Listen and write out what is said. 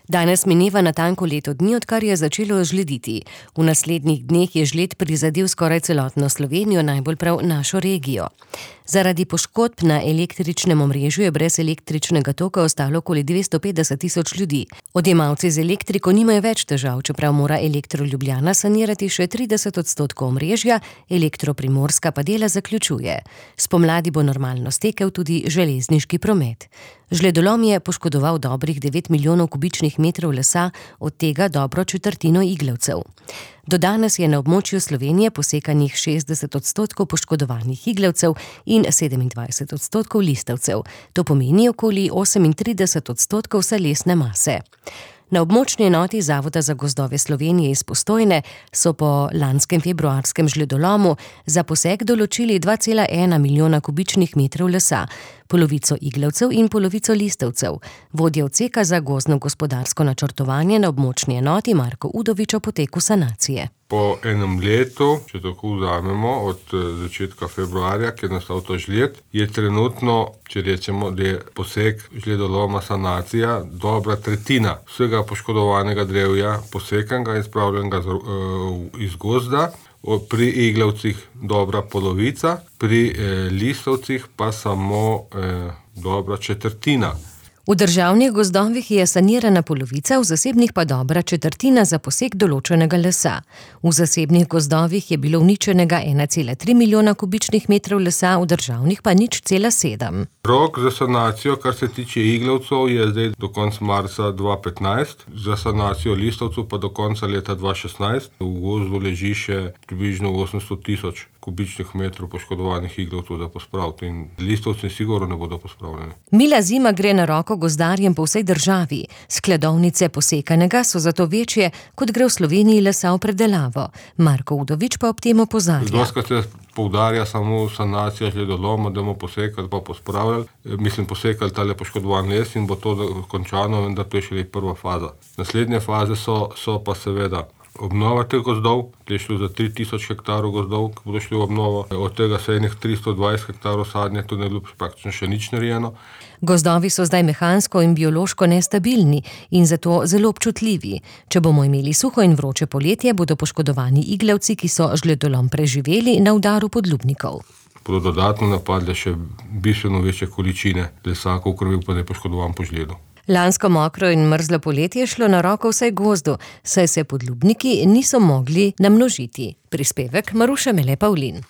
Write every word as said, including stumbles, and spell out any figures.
Danes mineva natanko leto dni, odkar je začelo žlediti. V naslednjih dneh je žled prizadel skoraj celotno Slovenijo, najbolj prav našo regijo. Zaradi poškodb na električnem omrežju je brez električnega toka ostalo okoli dvesto petdeset tisoč ljudi. Odjemalci z elektriko nimajo več težav, čeprav mora Elektro Ljubljana sanirati še trideset odstotkov omrežja, Elektro Primorska pa dela zaključuje. Spomladi bo normalno stekel tudi železniški promet. Žledolom je poškodoval dobrih devet milijonov kubičnih metrov lesa, od tega dobro četrtino iglavcev. Do danes je na območju Slovenije posekanih šestdeset odstotkov poškodovanih iglavcev in sedemindvajset odstotkov listavcev. To pomeni okoli osemintrideset odstotkov vse lesne mase. Na območni enoti Zavoda za gozdove Slovenije iz Postojne so po lanskem februarskem žledolomu za posek določili dva cela ena milijona kubičnih metrov lesa, polovico iglavcev in polovico listavcev. Vodja odseka za gozdno-gospodarsko načrtovanje na območni enoti Marko Udovič o poteku sanacije. Po enem letu, če tako vzamemo, od začetka februarja, ki je nastal ta žled, je trenutno, če rečemo, da je posek žledoloma sanacija dobra tretjina vsega poškodovanega drevja posekanega in spravljenega iz gozda, pri iglavcih dobra polovica, pri eh, listavcih pa samo eh, dobra četrtina. V državnih gozdovih je sanirana polovica, v zasebnih pa dobra četrtina za posek določenega lesa. V zasebnih gozdovih je bilo uničenega ena cela tri milijona kubičnih metrov lesa, v državnih pa nič cela sedem. Rok za sanacijo, kar se tiče iglavcev, je zdaj do konca marca dva petnajst, za sanacijo listavcev pa do konca leta dva šestnajst. V gozdu leži še približno osemsto tisoč kubičnih metrov poškodovanih iglavcev za pospraviti in listavci sigurno ne bodo pospravljeni. Mila zima gre na roko gozdarjem po vsej državi. Skladovnice posekanega so zato večje, kot gre v Sloveniji lesa v predelavo. Marko Udovič pa ob tem opozarja. Dostikrat se poudarja samo sanacija žledoloma, da bomo posekali pa pospravljali. Mislim, posekali tale poškodovan les in bo to končano, vendar to je šele prva faza. Naslednje faze so, so pa seveda obnova teh gozdov, je šlo za tri tisoč hektarov gozdov, ki bodo šli v obnovo. Od tega se enih tristo dvajset hektarov sadnje, to ne ljub praktično še nič narejeno. Gozdovi so zdaj mehansko in biološko nestabilni in zato zelo občutljivi. Če bomo imeli suho in vroče poletje, bodo poškodovani iglavci, ki so žledolom preživeli, na udaru podlubnikov. Bodo dodatno napadle še bistveno večje količine lesa, kakor bi pa ne poškodovan po žledu. Lansko mokro in mrzlo poletje je šlo na roko vsaj gozdu, saj se podlubniki niso mogli namnožiti. Prispevek Maruša Mele Pavlin.